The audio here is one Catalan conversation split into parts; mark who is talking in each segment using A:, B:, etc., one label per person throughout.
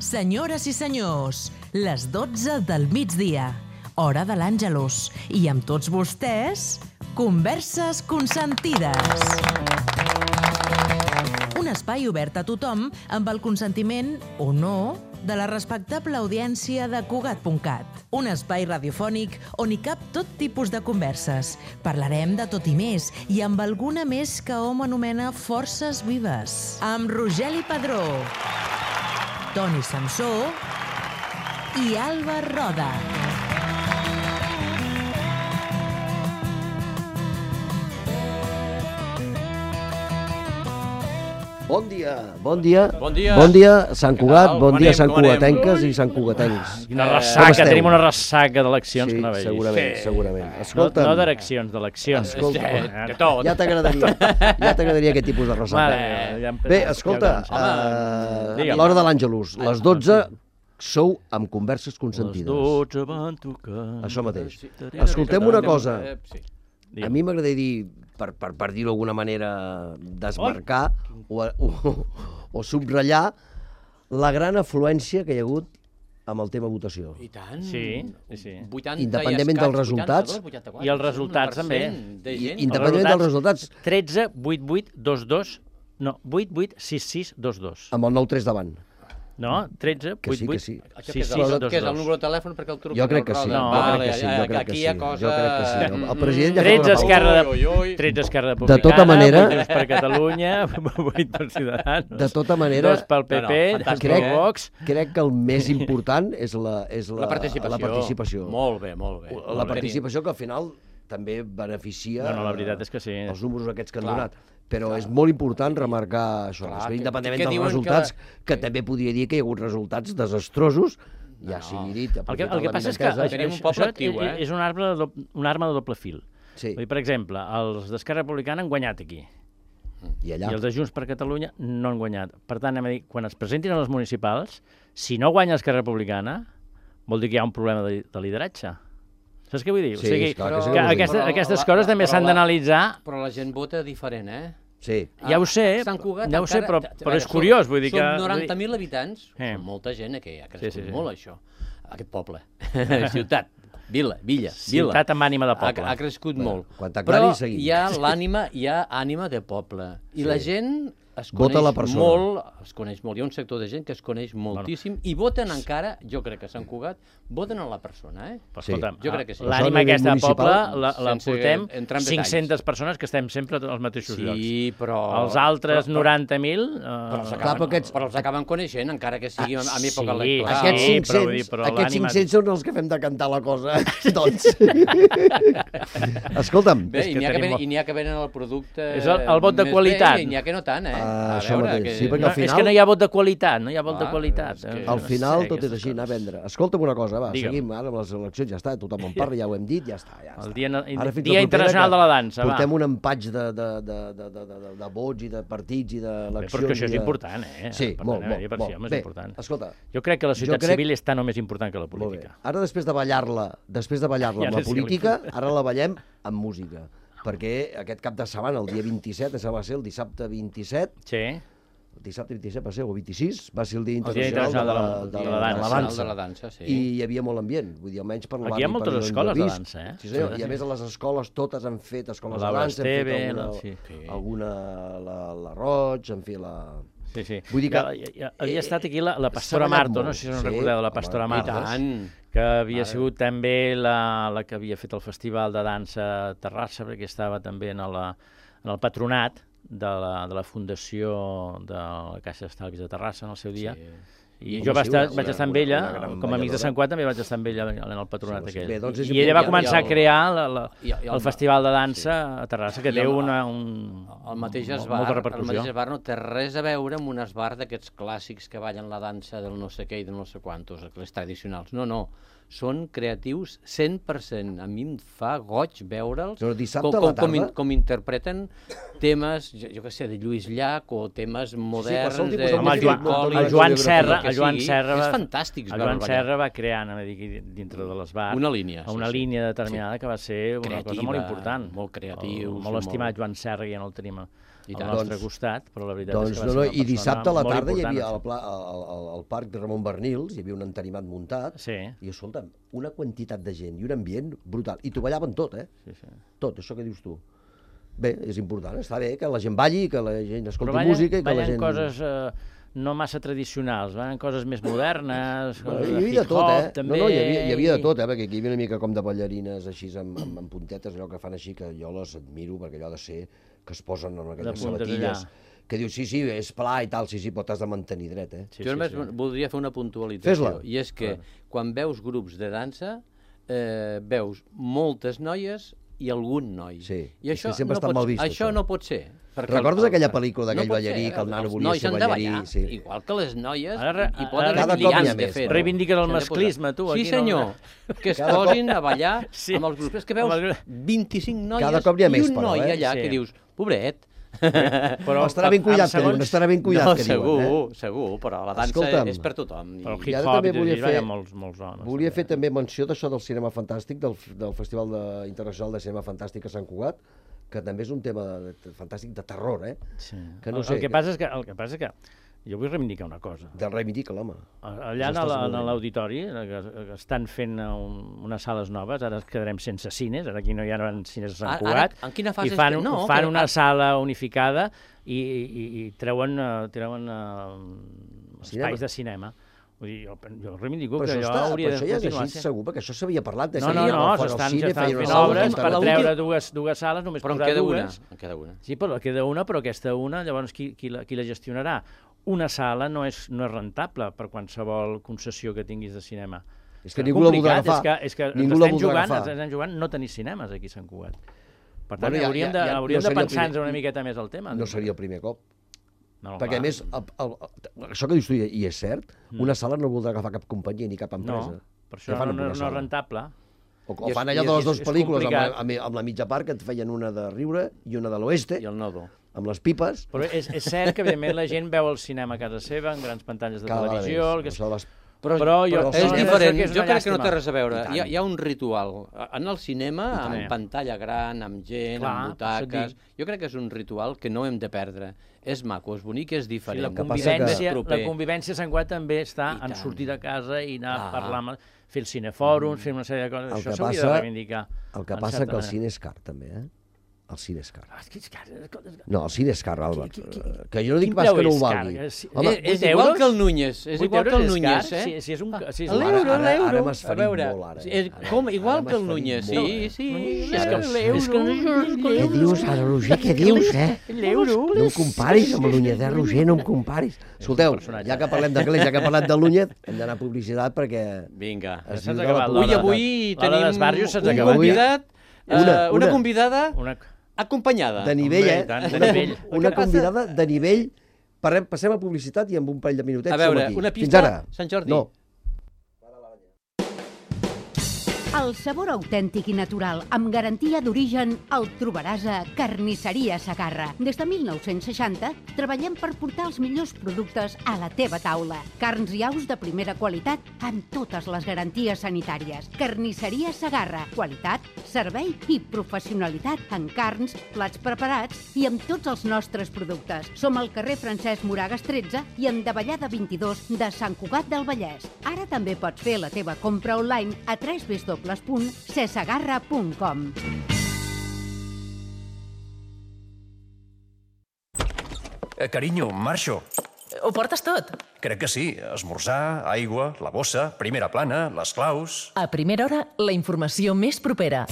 A: Senyores i senyors, les 12 del migdia, hora de l'Àngelus. I amb tots vostès, Converses Consentides. Un espai obert a tothom amb el consentiment, o no, de la respectable audiència de Cugat.cat. Un espai radiofònic on hi cap tot tipus de converses. Parlarem de tot i més, i amb alguna més que hom anomena forces vives. Amb Rogeli Padró, Toni Samsó i Alba Roda.
B: Bon dia, bon dia.
C: Bon dia.
B: Bon dia, Sant Cugat, bon dia, Sant
C: Com anem?
B: Cugatenques i Sant Cugatencs.
D: Una ressaca, tenim una ressaca d'eleccions que no veig.
B: Segurament, segurament.
D: No,
B: Escolta'm,
D: no d'eleccions, d'eleccions.
B: Escolta,
C: De tot.
B: ja t'agradaria aquest tipus de ressaca.
D: Ja
B: Bé, escolta,
D: digue'm.
B: l'hora de l'Àngelus, les 12 sou amb Converses
D: Les
B: Consentides.
D: 12 van tocar.
B: Això mateix. Escoltem una cosa.
C: Sí.
B: A mi m'agradaria dir, per dir-ho d'alguna manera, desmarcar o subratllar la gran afluència que hi ha hagut amb el tema votació.
C: I tant.
D: Sí, sí.
C: 80
B: Independentment dels resultats.
C: 84,
D: I els resultats, també.
C: de gent.
B: Independentment dels resultats,
D: 13 88 22 no, 88 66 22.
B: amb el 9-3 davant.
D: No, 13
B: Que sí,
D: 88
B: que sí.
C: Això
D: 66
C: que és el
D: 22.
C: número de telèfon perquè el truco.
B: Jo crec que sí,
D: No,
B: jo crec que sí, jo crec que
C: Aquí
B: sí.
C: hi ha
B: Jo
C: cosa...
B: crec que sí. El president ja
D: 13
B: fa una
D: Esquerra
B: pausa.
D: de 13 Esquerra Republicana,
B: De tota manera-
D: 8 per Catalunya, 8 per Ciutadans,
B: De tota manera,
D: 2 pel PP,
C: No,
D: 2
B: crec-
D: per Vox.
B: crec que el més important és
C: La participació.
B: La participació.
C: Molt bé, molt bé.
B: La participació que al final també beneficia
D: No, la veritat és que sí.
B: els números aquests que han
C: Clar,
B: donat. Però és molt important remarcar això,
C: Clar,
B: independentment
C: que
B: dels
C: diuen
B: resultats,
C: que
B: també podria dir que hi ha hagut resultats desastrosos, ja sigui dit,
D: El que
B: aprofitant
D: passa és que
B: l'avinentesa.
C: Tenim un poble actiu,
D: és una arma de doble fil.
B: Sí,
D: Vull dir, per exemple, els d'Esquerra Republicana han guanyat aquí,
B: i allà.
D: i els de Junts per Catalunya no han guanyat. Per tant, anem a dir, quan es presentin a les municipals, si no guanya Esquerra Republicana, vol dir que hi ha un problema de lideratge. Saps què vull dir?
B: Sí,
D: o sigui,
B: clar que sí
D: que
B: que vull dir.
D: aquestes coses també s'han d'analitzar.
C: Però la gent vota diferent,
B: Sí.
D: Ja ho sé,
C: Sant Cugat
D: ja ho sé,
C: encara-
D: però és curiós, vull dir que...
C: Som 90.000 habitants,
D: Sí.
C: som molta gent, que ha crescut
D: Sí.
C: molt, això. Aquest poble. Ciutat. Vila.
D: Ciutat amb ànima de poble.
C: Ha crescut molt.
B: quan t'aclari,
C: Però
B: seguim.
C: hi ha ànima de poble. I la gent es
B: Vota
C: coneix
B: la persona.
C: molt, es coneix molt. Hi ha un sector de gent que es coneix moltíssim i voten encara, jo crec que a Sant Cugat, voten a la persona,
D: Però,
B: Sí.
D: escolta'm,
C: Jo crec que sí.
B: Això a
D: l'ànima
B: nivell
D: aquesta de poble
B: municipal,
D: la
C: sense
D: portem
C: entrar en detalls.
D: 500 persones que estem sempre als mateixos llocs.
C: Sí, però...
D: Els altres 90.000...
C: Però els
B: Clar,
C: acaben,
B: però aquests-
C: però els acaben coneixent, encara que sigui a època
D: sí,
C: electoral.
B: Aquests
D: Sí,
B: 500,
D: però vull dir, però
B: aquests
D: l'ànima-
B: 500 són els que fem de cantar la cosa, tots. Escolta'm,
C: Bé,
D: És
C: i
D: que
C: n'hi ha,
D: tenim-
C: que venen el producte...
D: És el vot de
C: més
D: qualitat.
C: Bé, i n'hi ha que no tant,
B: això mateix, sí, perquè
D: No,
B: al final-
D: és que no hi ha vot de qualitat, no hi ha vot de
C: Clar,
D: qualitat.
C: és que-
B: al final
D: sé,
B: tot és
D: aquestes
B: així, anar a
D: coses.
B: vendre. Escolta'm una cosa, va,
D: Digue'm.
B: seguim ara amb les eleccions, ja està, tothom en parla, ja ho hem dit, ja està.
D: El Dia,
B: Ara fins la
D: dia
B: propera,
D: Internacional
B: que
D: de la Dansa, va.
B: Portem un empatx de vots i de partits i
D: Bé,
B: d'eleccions.
D: però que això és
B: i de-
D: important,
B: Sí,
D: Per
B: molt,
D: tant,
B: molt,
D: per
B: molt.
D: si, home, és
B: Bé,
D: important.
B: escolta,
D: Jo crec que la societat
B: crec-
D: civil és tan o més important que la
B: molt bé.
D: política.
B: Ara, després de ballar-la
D: Ja
B: amb la
D: no sé
B: política, ara la ballem amb música. Perquè aquest cap de setmana, el dia 27, això va ser el dissabte 27,
D: Sí,
B: el dissabte 27 va ser, o 26, va ser el Dia
D: Dia
B: Internacional
D: Internacional de la Dansa.
C: De la dansa, sí.
B: I hi havia molt ambient, vull dir, almenys per
D: Aquí
B: l'àmbit
D: hi ha moltes
B: per on
D: escoles
B: jo
D: de
B: visc.
D: dansa, eh?
B: Sí, senyor,
D: Sí,
B: i a
D: sí.
B: més a les escoles totes han fet escoles
D: La
B: de dansa, han
D: Esteve,
B: fet alguna,
D: sí.
B: alguna la Roig, en fi, la...
D: Sí, sí.
B: Vull dir que-
D: havia estat aquí la Pastora
B: s'ha ballat
D: Marto, no
B: molt.
D: sé si us
B: Sí,
D: recordeu, la
B: home,
D: Pastora
B: i
D: Marto,
C: tant.
D: que havia sigut també la que havia fet el Festival de Dansa a Terrassa, perquè estava també en el patronat de la Fundació de la Caixa d'Estalvis de Terrassa en el seu dia. I
B: Home,
D: jo vaig
B: sí,
D: estar amb ella,
B: una gran
D: com a amic de
B: balladora.
D: Sant Cugat també vaig estar amb ella en el patronat
B: Sí, sí.
D: aquell.
B: Bé, doncs és
D: I ella va
B: important.
D: començar a crear
C: i el-
D: el Festival de Dansa a Terrassa, que
C: I
D: té
C: el-
D: un
C: El mateix
D: molta
C: esbar,
D: repercussió.
C: no té res a veure amb un esbar d'aquests clàssics que ballen la dansa del no sé què i del no sé quantos, les tradicionals. No. Són creatius 100%. A mi em fa goig veure'ls
B: Però dissabte a la tarda?
C: com interpreten temes, jo què sé, de Lluís Llach o temes moderns...
B: qualsevol tipus
C: de
B: de
D: Home,
B: música,
C: Phil Collins,
D: el Joan Serra,
C: que que sigui, és fantàstic.
D: El Joan Serra va crear, dintre de l'Esbar,
C: una línia
D: determinada que va ser una cosa molt important.
C: Molt creatiu.
D: Molt estimat Joan Serra, ja no el tenim al nostre costat, però la veritat és que va ser una persona
B: i dissabte a la tarda hi havia
D: important.
B: al parc de Ramon Bernils, hi havia un entenimat muntat, i escolta'm, una quantitat de gent i un ambient brutal. I t'ho ballaven tot, tot, això que dius tu. Bé, és important, està bé que la gent balli, que la gent escolti música i que la gent...
D: Però ballen coses no massa tradicionals, ballen coses més modernes,
B: hi havia de tot, també... No, hi havia de tot, perquè aquí hi havia una mica com de ballarines així amb puntetes, allò que fan així, que jo les admiro, perquè allò ha de ser que es posen en aquelles sabatilles, que dius, sí, és pla i tal, sí, però t'has de mantenir dret,
C: Jo només voldria fer una puntualització, i és que quan veus grups de dansa, veus moltes noies i algun noi.
B: Sí,
C: i això
B: sempre està mal vist.
C: Això no pot ser.
B: Recordes aquella pel·lícula d'aquell ballarí, que el nano volia ser ballarí?
C: Igual que les noies, i
B: poden
C: reivindicar.
D: Reivindiques el masclisme, tu.
C: Sí, senyor, que es posin a ballar amb els grups. És que veus 25 noies i un noi allà que dius, pobret,
B: però estarà ben cuidat, estarà ben cuidat, que diuen.
C: Segur, però la dansa és per tothom.
D: Però el hip-hop hi ha molts homes.
B: Volia fer també menció d'això del cinema fantàstic, del Festival Internacional de Cinema Fantàstic a Sant Cugat, que també és un tema fantàstic de terror,
D: El que passa és que jo vull reivindicar una cosa.
B: Reivindica l'home.
D: Allà en l'auditori, que estan fent unes sales noves, ara quedarem sense cines, ara aquí no hi ha cines a Sant Cugat, i fan una sala unificada i treuen espais de cinema. Vull dir, jo reivindico que allò hauria de continuar.
B: Però això ja és així, segur, perquè això s'havia parlat.
D: No, s'estan fent obres per treure dues sales, només posar dues.
C: En queda una.
D: Sí, però queda una, però aquesta una, llavors qui la gestionarà? Una sala no és rentable per qualsevol concessió que tinguis de cinema.
B: És que ningú la voldrà agafar.
D: És que estem jugant no tenir cinemes aquí a Sant Cugat. Per tant, hauríem de pensar-nos una miqueta més al tema.
B: No seria el primer cop. Perquè a més, això que dius tu, i és cert, una sala no voldrà agafar cap companyia ni cap empresa.
D: No, per això no és rentable.
B: O fan allò de les dues pel·lícules amb la mitja part, que et feien una de Riure i una de l'Oeste.
C: I el Nodo.
B: Amb les pipes.
D: Però és cert que, evidentment, la gent veu el cinema a casa seva, en grans pantalles de televisió...
C: Però és diferent, jo crec que no té res a veure. Hi ha un ritual. En el cinema, amb pantalla gran, amb gent, amb butaques... Jo crec que és un ritual que no hem de perdre. És maco, és bonic, és diferent.
D: La convivència a Sant Cugat també està en sortir de casa i anar a parlar, fer el cinefòrum, fer una sèrie de coses. Això s'hauria de reivindicar.
B: El que passa que el cine és car, també, El cine és car. No, el cine és car, Albert. Que jo no dic pas que no ho valgui.
C: És igual que el Núñez. És igual que el Núñez, L'euro.
B: Ara m'has ferit molt, ara.
C: Igual que el Núñez, sí.
B: Què dius, ara, Roger, què dius, No em comparis amb el Núñez, Roger, no em comparis. Escolteu, ja que parlem d'anglès, ja que parlem del Núñez, hem d'anar a publicitat perquè...
C: Vinga.
D: Avui
C: tenim una convidada... acompanyada.
B: De nivell, Una convidada de nivell. Passem a publicitat i amb un parell de minutets som aquí.
C: A veure, una pista, Sant Jordi.
B: No.
E: El sabor autèntic i natural, amb garantia d'origen, el trobaràs a Carnisseria Segarra. Des de 1960 treballem per portar els millors productes a la teva taula. Carns i aus de primera qualitat amb totes les garanties sanitàries. Carnisseria Segarra. Qualitat, servei i professionalitat en carns, plats preparats i amb tots els nostres productes. Som al carrer Francesc Moragas 13 i en Davallada 22 de Sant Cugat del Vallès. Ara també pots fer la teva compra online a www.cesegarra.com.
F: Carinyo, marxo.
G: Ho portes tot?
F: Crec que sí. Esmorzar, aigua, la bossa, primera plana, les claus...
G: A primera hora, la informació més propera.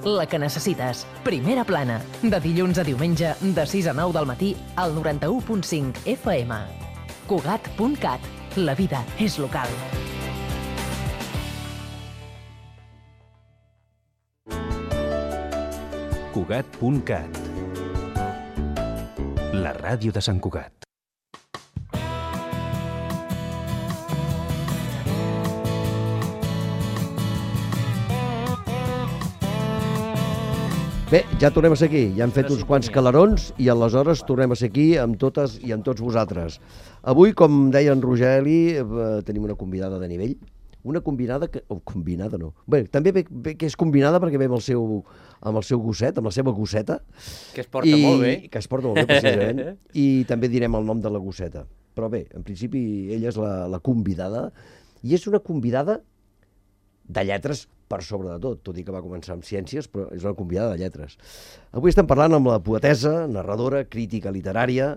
G: La que necessites. Primera plana. De dilluns a diumenge, de 6 a 9 del matí, al 91.5 FM. Cugat.cat. La vida és local.
H: Cugat.cat. La ràdio de Sant Cugat.
B: Bé, ja tornem a ser aquí. Ja hem fet uns quants calarons i aleshores tornem a ser aquí amb totes i amb tots vosaltres. Avui, com deia en Rogeli, tenim una convidada de nivell. Una combinada que... combinada no. Bé, també ve que és combinada perquè ve amb el seu gosset, amb la seva gosseta.
C: Que es porta molt bé.
B: Que es porta molt bé, precisament. I també direm el nom de la gosseta. Però bé, en principi, ella és la convidada. I és una convidada de lletres per sobre de tot i que va començar amb ciències, però és una convidada de lletres. Avui estem parlant amb la poetessa, narradora, crítica literària,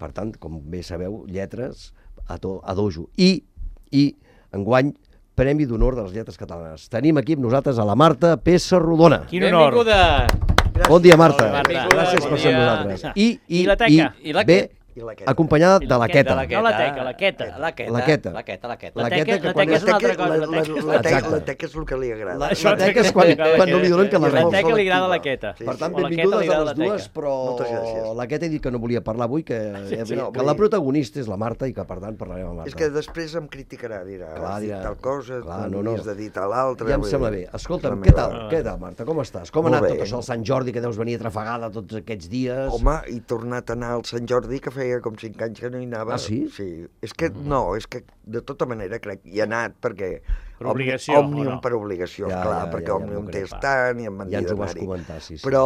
B: per tant, com bé sabeu, lletres a dojo. I enguany, Premi d'Honor de les Lletres Catalanes. Tenim aquí amb nosaltres a la Marta Pessarrodona.
D: Quin honor!
C: Benvinguda!
B: Bon dia, Marta. Gràcies per ser amb nosaltres.
D: I la teca.
B: Bé, acompanyada de la Queta.
D: No la teca, la Queta.
B: La Queta.
C: La Queta.
D: La teca és una altra cosa.
I: La teca és el que li agrada.
B: La teca és quan no li donen que la
D: rep. La teca li agrada la Queta.
B: Per tant, benvingudes a les dues, però la Queta ha dit que no volia parlar avui, que la protagonista és la Marta i que, per tant, parlarem amb Marta.
I: És que després em criticarà, dirà, has dit tal cosa, havies de dir tal altra...
B: Ja em sembla bé. Escolta'm, què tal, Marta? Com estàs? Com ha anat tot això, el Sant Jordi, que deus venir atrafegada tots aquests dies?
I: Home, he tornat a anar al Sant Jordi, que feia com 5 anys que no hi anava.
B: Ah, sí?
I: Sí. És que de tota manera crec hi he anat perquè...
D: Per obligació,
I: Òmnium per obligació, clar, perquè Òmnium té estant i em van dir
B: d'anar-hi. Ja ens ho vas comentar, sí.
I: Però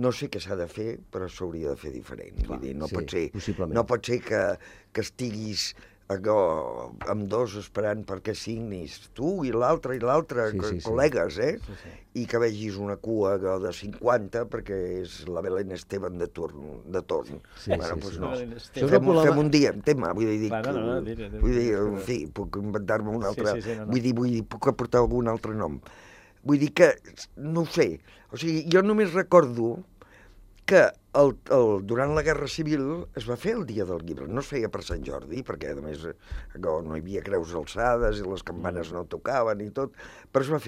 I: no sé què s'ha de fer, però s'hauria de fer diferent. Vull dir, no pot ser que estiguis amb dos esperant perquè signis tu i l'altre, col·legues, i que vegis una cua de 50 perquè és la Belén Esteban de torn. Bueno, doncs no. Fem un dia, tema, vull dir, en fi, puc inventar-me un altre, vull dir, puc aportar algun altre nom. Vull dir que, no ho sé, o sigui, jo només recordo que durant la Guerra Civil es va fer el Dia del Llibre. No es feia per Sant Jordi, perquè a més no hi havia creus alçades i les campanes no tocaven i tot, però es va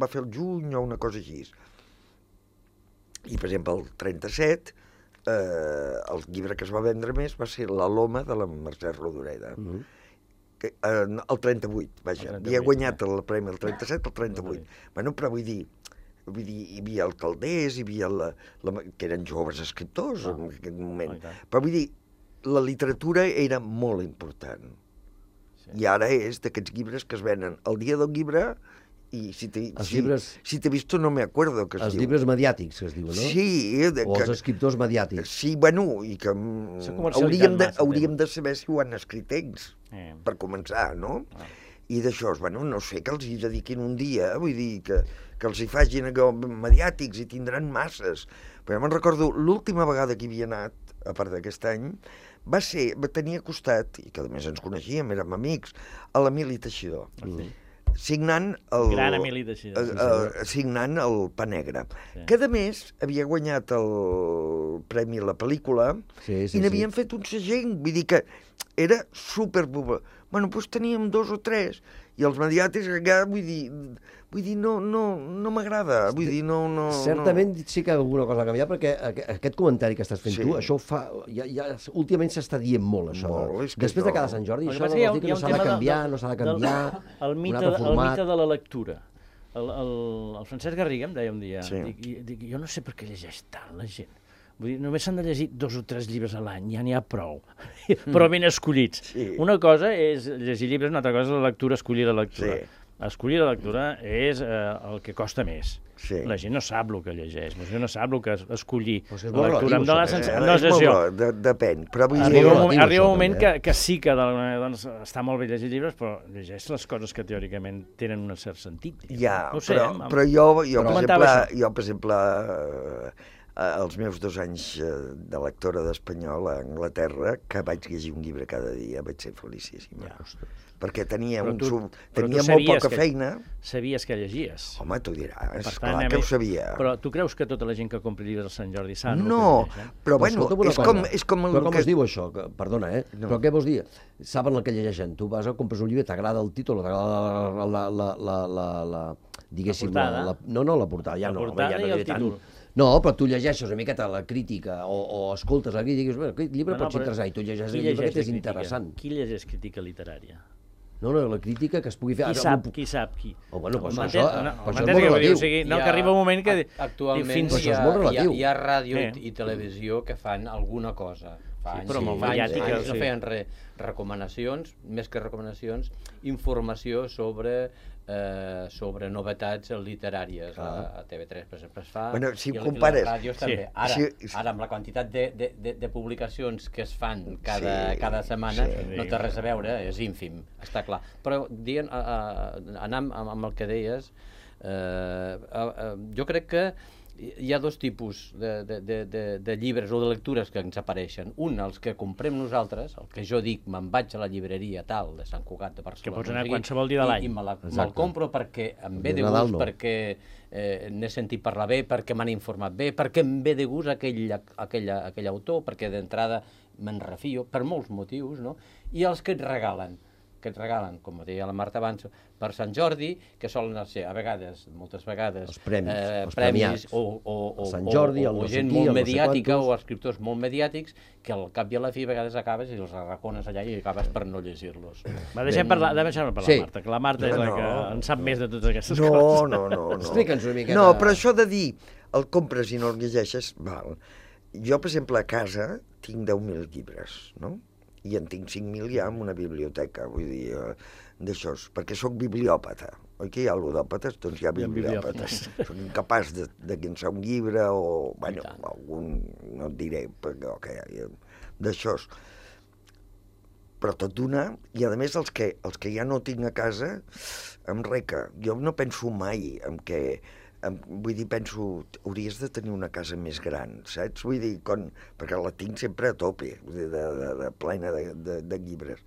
I: fer el juny o una cosa així. I, per exemple, el 37, el llibre que es va vendre més va ser La Loma, de la Mercè Rodoreda. El 38, vaja. Havia guanyat el premi el 37, el 38. Bueno, però vull dir, hi havia el Calders, hi havia que eren joves escriptors en aquell moment. Però vull dir, la literatura era molt important. I ara és d'aquests llibres que es venen el dia del llibre i si t'he visto no me acuerdo que es diu.
B: Els llibres mediàtics, que es diu, no?
I: Sí.
B: O els escriptors mediàtics.
I: Sí, bueno, i que hauríem de saber si ho han escrit ells, per començar, no? I d'això, bueno, no sé, que els hi dediquin un dia, vull dir, que els hi facin mediàtics i tindran masses. Però jo me'n recordo, l'última vegada que hi havia anat, a part d'aquest any, va tenir costat, i que a més ens coneixíem, érem amics, a l'Emili Teixidor. Signant el...
D: Gran Emili Teixidor.
I: Signant el Pa Negre. Que a més havia guanyat el premi a la pel·lícula i n'havien fet un segell, vull dir que era superpopular. Bueno, doncs teníem 2 o 3 i els mediàtics, vull dir, no m'agrada, vull dir, no...
B: Certament sí que alguna cosa ha canviat, perquè aquest comentari que estàs fent tu, això ho fa... Últimament s'està dient molt, això. Després de cada Sant Jordi, això no vol dir que no s'ha de canviar, no s'ha de canviar, un altre format.
D: El mite de la lectura. El Francesc Garriga em deia un dia, jo no sé per què llegeix tant la gent. Vull dir, només s'han de llegir 2 o 3 llibres a l'any, ja n'hi ha prou, però ben escollits. Una cosa és llegir llibres, una altra cosa és la lectura, escollir la lectura. Escollir la lectura és el que costa més. La gent no sap el que llegeix, la gent no sap el que escollir. La lectura em dóna la sensació.
I: Depèn.
D: Arriba un moment que sí que està molt bé llegir llibres, però llegeix les coses que teòricament tenen un cert sentit.
I: Ja, però jo, per exemple, els meus 2 anys de lectora d'espanyol a Anglaterra, que vaig llegir un llibre cada dia, vaig ser felicíssima. Perquè tenia molt poca feina.
D: Sabies que llegies.
I: Home, tu diràs, clar que ho sabia.
D: Però tu creus que tota la gent que compra llibres a Sant Jordi sap?
I: No, però bueno, és com...
B: Però com es diu això? Perdona, però què vols dir? Saben el que llegeixen. Tu vas a compres un llibre, t'agrada el títol, t'agrada la... diguéssim, no la portada, ja no.
D: La portada i el títol.
B: No, però tu llegeixes una miqueta la crítica o escoltes la crítica i dius, aquest llibre pot ser interessant, i tu llegeixes el llibre que és interessant.
D: Qui llegeix crítica literària?
B: No, la crítica que es pugui fer...
D: Qui sap qui.
B: Oh, bueno, doncs això és molt relatiu.
D: No, que arriba un moment que...
C: Actualment hi ha ràdio i televisió que fan alguna cosa.
D: Però molt mediàtica.
C: No feien recomanacions, més que recomanacions, informació sobre novetats literàries. A TV3, per exemple, es fa,
I: si compares...
C: I les ràdios també. Ara, amb la quantitat de publicacions que es fan cada setmana, no té res a veure, és ínfim, està clar. Però, anant amb el que deies, jo crec que hi ha dos tipus de llibres o de lectures que ens apareixen. Un, els que comprem nosaltres, el que jo dic, me'n vaig a la llibreria tal de Sant Cugat de Barcelona.
D: Que pots anar qualsevol dia de l'any.
C: I me'l compro perquè em ve de gust, perquè n'he sentit parlar bé, perquè m'han informat bé, perquè em ve de gust aquell autor, perquè d'entrada me'n refio, per molts motius, no? I els que et regalen, com deia la Marta abans, per Sant Jordi, que solen ser, a vegades, moltes vegades,
B: els premis,
C: o
B: Sant Jordi,
C: o gent molt mediàtica, o escriptors molt mediàtics, que al cap i a la fi a vegades acabes i els arracones allà i acabes per no llegir-los.
D: Deixem parlar la Marta, que la Marta és la que en sap més de totes aquestes coses.
I: No.
B: Explica'ns una miqueta.
I: No, però això de dir, el compres i no el llegeixes, val. Jo, per exemple, a casa tinc 10.000 llibres, no? I en tinc 5.000 ja en una biblioteca, vull dir, d'això, perquè sóc bibliòpata. Oi que hi ha ludòpates? Doncs hi ha bibliòpates. Soc incapaç de llençar un llibre o, bueno, algun, no et diré, però d'això. Però tot d'una, i a més els que ja no tinc a casa, em reca. Jo no penso mai en què... Vull dir, penso, hauries de tenir una casa més gran, saps? Vull dir, perquè la tinc sempre a tope, plena de llibres,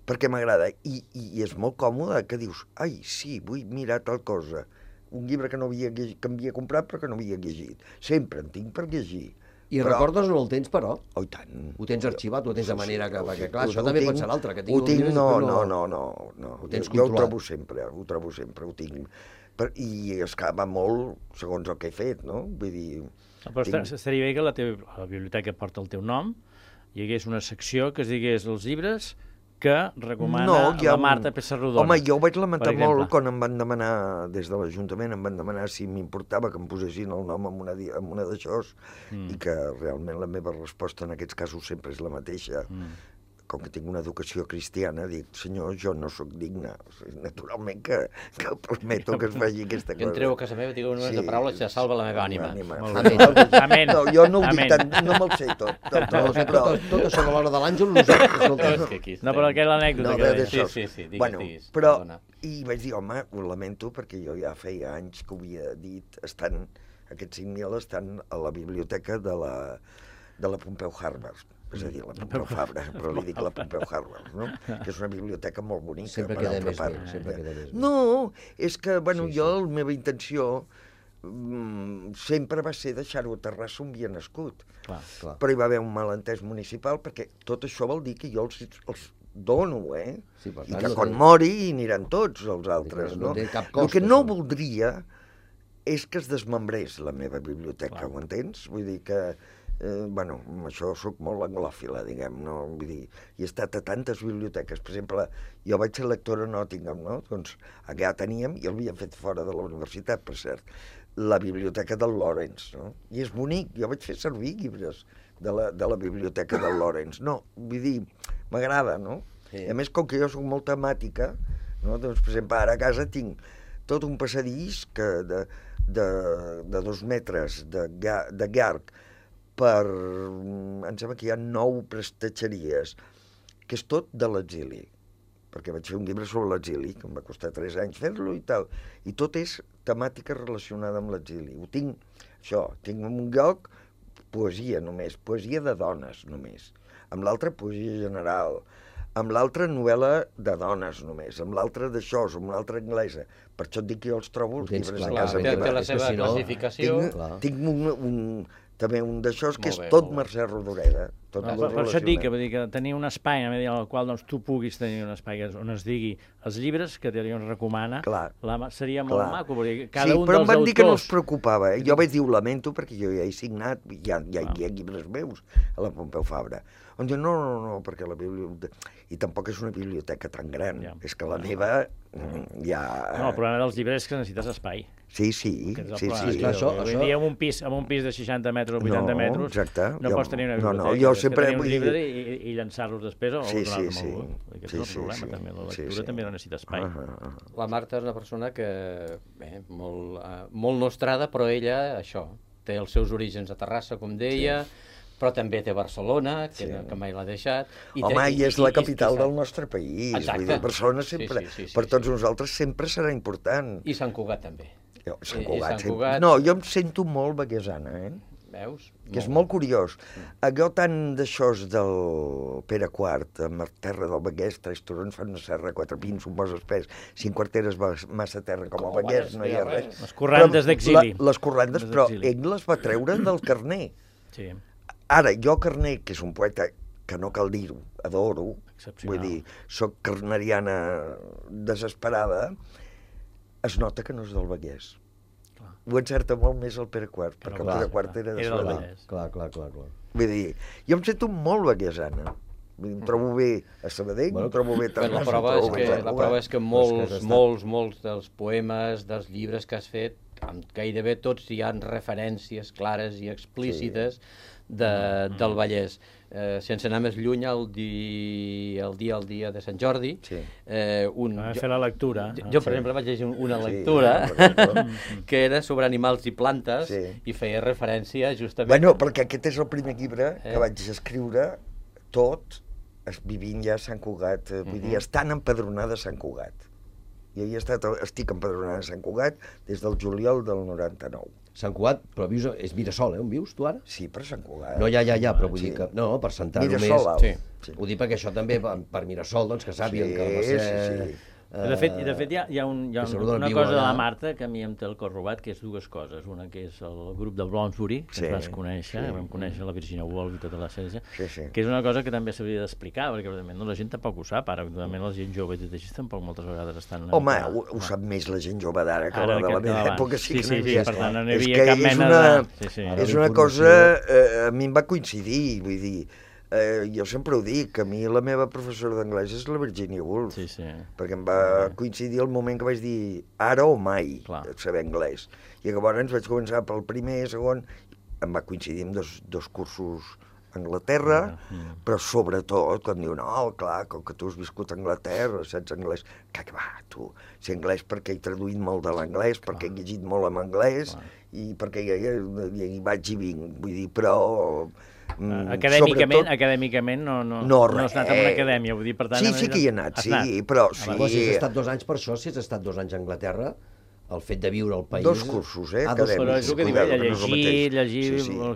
I: perquè m'agrada. I és molt còmode que dius, ai, sí, vull mirar tal cosa, un llibre que havia comprat però que no havia llegit. Sempre en tinc per llegir.
B: I recordes on el tens, però?
I: Oh, i tant.
B: Ho tens arxivat, ho tens de manera que... Perquè, clar, això també pot ser l'altre, que
I: tinc uns llibres... No. Jo ho trobo sempre, ho tinc. I es va molt segons el que he fet, no? Vull dir...
D: Però estaria bé que la biblioteca porta el teu nom, hi hagués una secció que es digués els llibres que recomana la Marta Pessarrodona.
I: Home, jo ho vaig lamentar molt quan em van demanar, des de l'Ajuntament, em van demanar si m'importava que em posessin el nom en una d'això, i que realment la meva resposta en aquests casos sempre és la mateixa. Com que tinc una educació cristiana, dic, senyor, jo no sóc digne. Naturalment que prometo que es faci aquesta cosa.
C: Que entreu a casa meva, digueu unes paraules que salva la meva ànima.
D: Amén.
I: No, jo no ho dic tant, no me'l sé tot.
B: Tot això a l'hora de l'Àngel, nosaltres...
D: No, però aquella anècdota que deies.
C: Sí, digues.
I: Però, i vaig dir, home, ho lamento, perquè jo ja feia anys que ho havia dit, aquests 5.000 estan a la biblioteca de la Pompeu Harvard. És a dir, la Pompeu Fabra, però li dic la Pompeu Harvard, no? Que és una biblioteca molt bonica.
B: Sempre queda més bé.
I: No, és que, bueno, jo, la meva intenció sempre va ser deixar-ho a Terrassa on havia nascut. Però hi va haver un malentès municipal, perquè tot això vol dir que jo els dono, i que quan mori hi aniran tots els altres, no? El que no voldria és que es desmembrés la meva biblioteca, ho entens? Vull dir que... Bueno, amb això sóc molt anglòfila, diguem, no? Vull dir, he estat a tantes biblioteques. Per exemple, jo vaig ser lector a Nottingham, no? Doncs allà teníem, i l'havien fet fora de la universitat, per cert, la biblioteca del Lawrence, no? I és bonic, jo vaig fer servir llibres de la biblioteca del Lawrence. No, vull dir, m'agrada, no? I a més, com que jo soc molt temàtica, no? Doncs, per exemple, ara a casa tinc tot un passadís de 2 metres de llarg, em sembla que hi ha 9 prestatgeries, que és tot de l'exili, perquè vaig fer un llibre sobre l'exili, que em va costar 3 anys fer-lo i tal, i tot és temàtica relacionada amb l'exili. Ho tinc, tinc en un lloc poesia només, poesia de dones només, amb l'altre poesia general, amb l'altra novel·la de dones només, amb l'altre d'això, amb l'altra anglesa. Per això et dic que jo els trobo els llibres a casa meva.
C: Té la seva classificació.
I: Tinc també un d'això que és tot Mercè Rodoreda, tot
D: per això et dic que tenir un espai en el qual tu puguis tenir un espai on es digui els llibres que Dion recomana, seria molt maco, perquè cada un dels autors... Sí, però
I: em van dir que no els preocupava. Jo vaig dir, ho lamento, perquè jo ja he signat, hi ha llibres meus a la Pompeu Fabra. On diu, no, perquè la biblioteca... I tampoc és una biblioteca tan gran. És que la meva ja...
D: No, el problema dels llibres és que necessites espai.
I: Sí.
D: Avui dia en un pis de 60 metres o 80 metres no pots tenir una biblioteca.
I: Jo sempre...
D: Tenir uns llibres i llançar-los després o donar-los amb algú. Aquest és el problema, també. La lectura també no necessita espai.
C: La Marta és una persona que, molt nostrada, però ella, això, té els seus orígens a Terrassa, com deia, però també té Barcelona, que mai l'ha deixat.
I: Home, i és la capital del nostre país. Vull dir, Barcelona sempre, per tots nosaltres, sempre serà important.
C: I Sant Cugat també.
I: Sant Cugat. No, jo em sento molt baguesana,
C: Veus?
I: Que és molt curiós. Allò tant d'això del Pere IV, amb terra del Baguès, 3 turons fan una serra, 4 pins, un bosc espès, 5 quarteres massa terra com el Baguès, no hi ha res.
D: Les corrandes d'exili.
I: Les corrandes, però ell les va treure del Carner.
D: Sí.
I: Ara, jo Carner, que és un poeta que no cal dir-ho, adoro, vull dir, soc carneriana desesperada, es nota que no és del Baguès. Ho encerta molt més el Pere IV, perquè el Pere IV era de Sabadell.
B: Clar.
I: Vull dir, jo em sento molt baguesana. Em trobo bé a Sabadell, em trobo bé a Terrassa.
C: La prova és que molts dels poemes, dels llibres que has fet, gairebé tots hi ha referències clares i explícites del Vallès. Sense anar més lluny, el dia de Sant Jordi...
D: Vam fer la lectura.
C: Jo, per exemple, vaig llegir una lectura que era sobre animals i plantes i feia referència justament...
I: Bueno, perquè aquest és el primer llibre que vaig escriure tot vivint ja a Sant Cugat, vull dir, estant empadronada a Sant Cugat. Jo estic empadronada a Sant Cugat des del juliol del 99.
B: Sant Cugat, però vius, és Mirasol, on vius tu ara?
I: Sí, per Sant Cugat.
B: No, ja, però vull dir que... No, per centrar-ho més...
I: Mirasol,
B: ho dic perquè això també, per Mirasol, doncs que sàpien que va ser...
D: De fet, hi ha una cosa de la Marta que a mi em té el cor robat, que és dues coses. Una que és el grup del Bloomsbury, que ens vas conèixer, vam conèixer la Virginia Woolf i tota la sèrie, que és una cosa que també s'hauria d'explicar, perquè la gent tampoc ho sap, ara la gent jove i tot així tampoc moltes vegades estan...
I: Home, ho sap més la gent jove d'ara que la de la meva època, sí que no hi havia.
D: Per tant, no hi havia cap mena de...
I: És una cosa... A mi em va coincidir, vull dir... Jo sempre ho dic, que a mi la meva professora d'anglès és la Virginia Woolf, perquè em va coincidir el moment que vaig dir ara o mai saber anglès. I llavors vaig començar pel primer, segon, em va coincidir amb dos cursos a Anglaterra, però sobretot quan diu, no, clar, com que tu has viscut a Anglaterra, saps anglès, que va, tu, sé anglès perquè he traduït molt de l'anglès, perquè he llegit molt en anglès, i perquè hi vaig i vinc, vull dir, però...
D: Acadèmicament no has anat a una acadèmia, vull dir, per tant...
I: Sí que hi he anat, però...
B: Si has estat 2 anys per això, si has estat 2 anys a Anglaterra, el fet de viure al país...
I: 2 cursos, acadèmics.
D: Però és el que diu, llegir,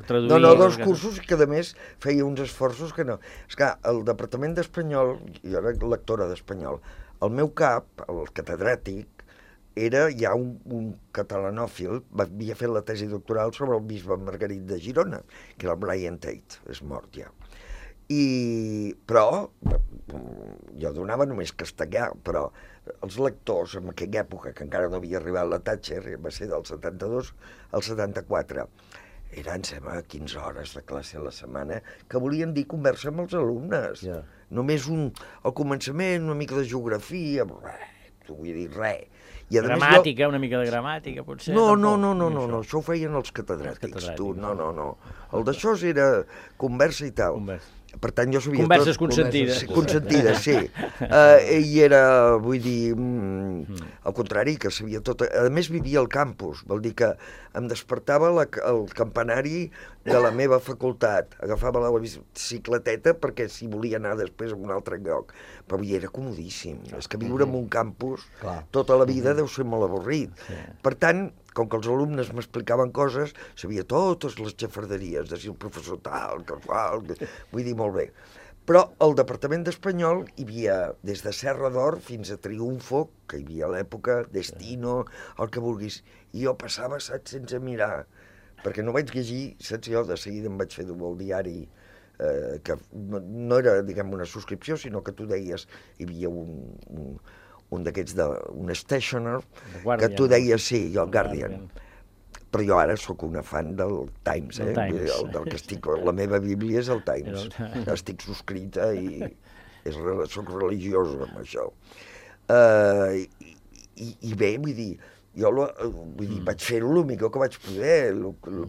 D: traduir...
I: No, 2 cursos que, a més, feia uns esforços que no... És que el Departament d'Espanyol, jo era lectora d'Espanyol, el meu cap, el catedràtic, era ja un catalanòfil, havia fet la tesi doctoral sobre el bisbe Margarit de Girona, que era el Brian Tate, és mort ja. Però jo donava només castellà, però els lectors en aquella època, que encara no havia arribat la Thatcher, va ser del 72 al 74, eren, sembla, 15 hores de classe a la setmana, que volien dir conversa amb els alumnes. Només al començament, una mica de geografia, vull dir, res.
D: Gramàtica, una mica de gramàtica, potser?
I: No, això ho feien els catedràtics, tu, no. El d'això era conversa i tal. Per tant, jo sabia
D: converses consentides.
I: Consentides, sí. I era, vull dir, al contrari, que sabia tot. A més, vivia al campus, vol dir que em despertava el campanari de la meva facultat. Agafava la bicicleteta perquè si volia anar després a un altre lloc. Però era comodíssim. És que viure en un campus tota la vida deu ser molt avorrit. Per tant, com que els alumnes m'explicaven coses, sabia totes les xafarderies, de si el professor tal, que qual, vull dir, molt bé. Però al Departament d'Espanyol hi havia des de Serra d'Or fins a Triunfo, que hi havia a l'època, Destino, el que vulguis. I jo passava, saps, sense mirar, perquè no vaig llegir, saps, jo de seguida em vaig fer dur al diari que no era, diguem, una subscripció, sinó que tu deies, hi havia un d'aquests, un stationer, que tu deies, sí, jo, el Guardian. Però jo ara sóc una fan del Times, del que estic... La meva bíblia és el Times. Estic subscrita i sóc religioso amb això. I bé, vull dir, jo vaig fer-ho el millor que vaig poder,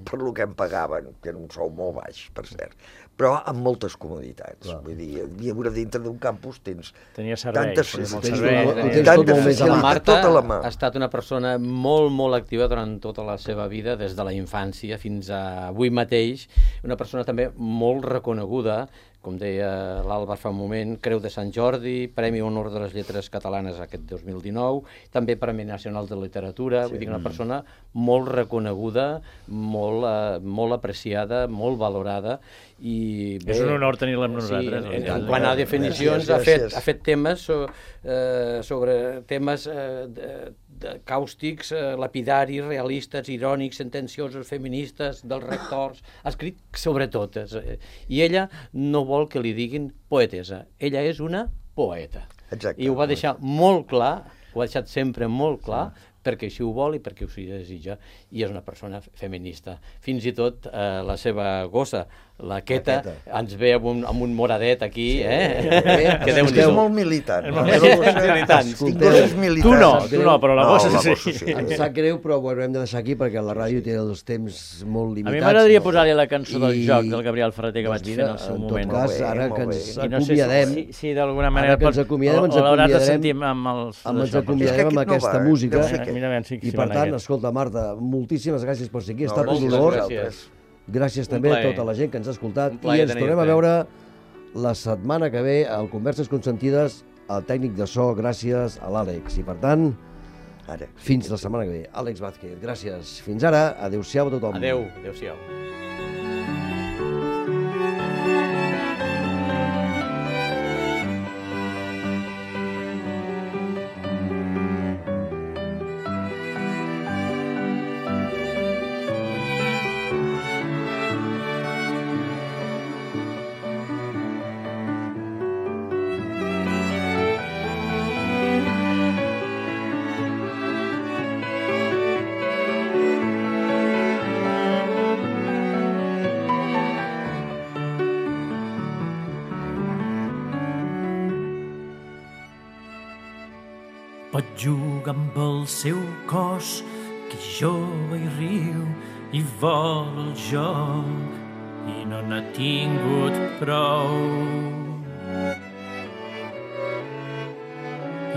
I: per lo que em pagaven, que era un sou molt baix, per cert, però amb moltes comoditats. Vull dir, a dintre d'un campus tens tantes facilitats, tota la mà.
C: Ha estat una persona molt, molt activa durant tota la seva vida, des de la infància fins a avui mateix, una persona també molt reconeguda, com deia l'Alba fa un moment, Creu de Sant Jordi, Premi Honor de les Lletres Catalanes aquest 2019, també Premi Nacional de Literatura, vull dir, una persona molt reconeguda, molt apreciada, molt valorada, i
D: és un honor tenir-la amb nosaltres.
C: En quant a definicions, ha fet temes sobre temes càustics, lapidaris, realistes, irònics, sentenciosos, feministes, dels rectors, ha escrit sobre totes. I ella no vol que li diguin poetessa, ella és una poeta. I ho va deixar molt clar, ho ha deixat sempre molt clar, perquè així ho vol i perquè ho desitja, i és una persona feminista. Fins i tot la seva gossa, la Queta, ens ve amb un moradet aquí,
I: que és molt militant.
D: Tu no, però la gossa sí.
B: Em sap greu, però ho haurem de deixar aquí perquè la ràdio té els temps molt limitats.
D: A mi m'agradaria posar-li la cançó del joc del Gabriel Ferreter que vaig fer en el seu moment.
B: En tot cas, ara que ens acomiadem...
D: Sí, d'alguna manera...
B: Ara que ens acomiadem, ens acomiadem amb aquesta música. I per tant, escolta, Marta, moltíssimes gràcies per ser aquí, ha estat un honor. Gràcies també a tota la gent que ens ha escoltat i ens tornem a veure la setmana que ve al Converses Consentides, al tècnic de so, gràcies a l'Àlex. I per tant, fins la setmana que ve. Àlex Vázquez, gràcies. Fins ara, adéu-siau a tothom.
C: Adéu-siau.
J: Pot jugar amb el seu cos, que jove i riu i vol el joc i no n'ha tingut prou.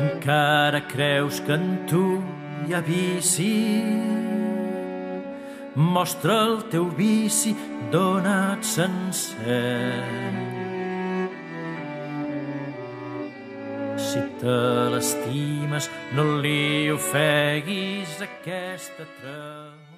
J: Encara creus que en tu hi ha vici? Mostra el teu vici donat sencer. Si te l'estimes, no li ofeguis aquesta treva.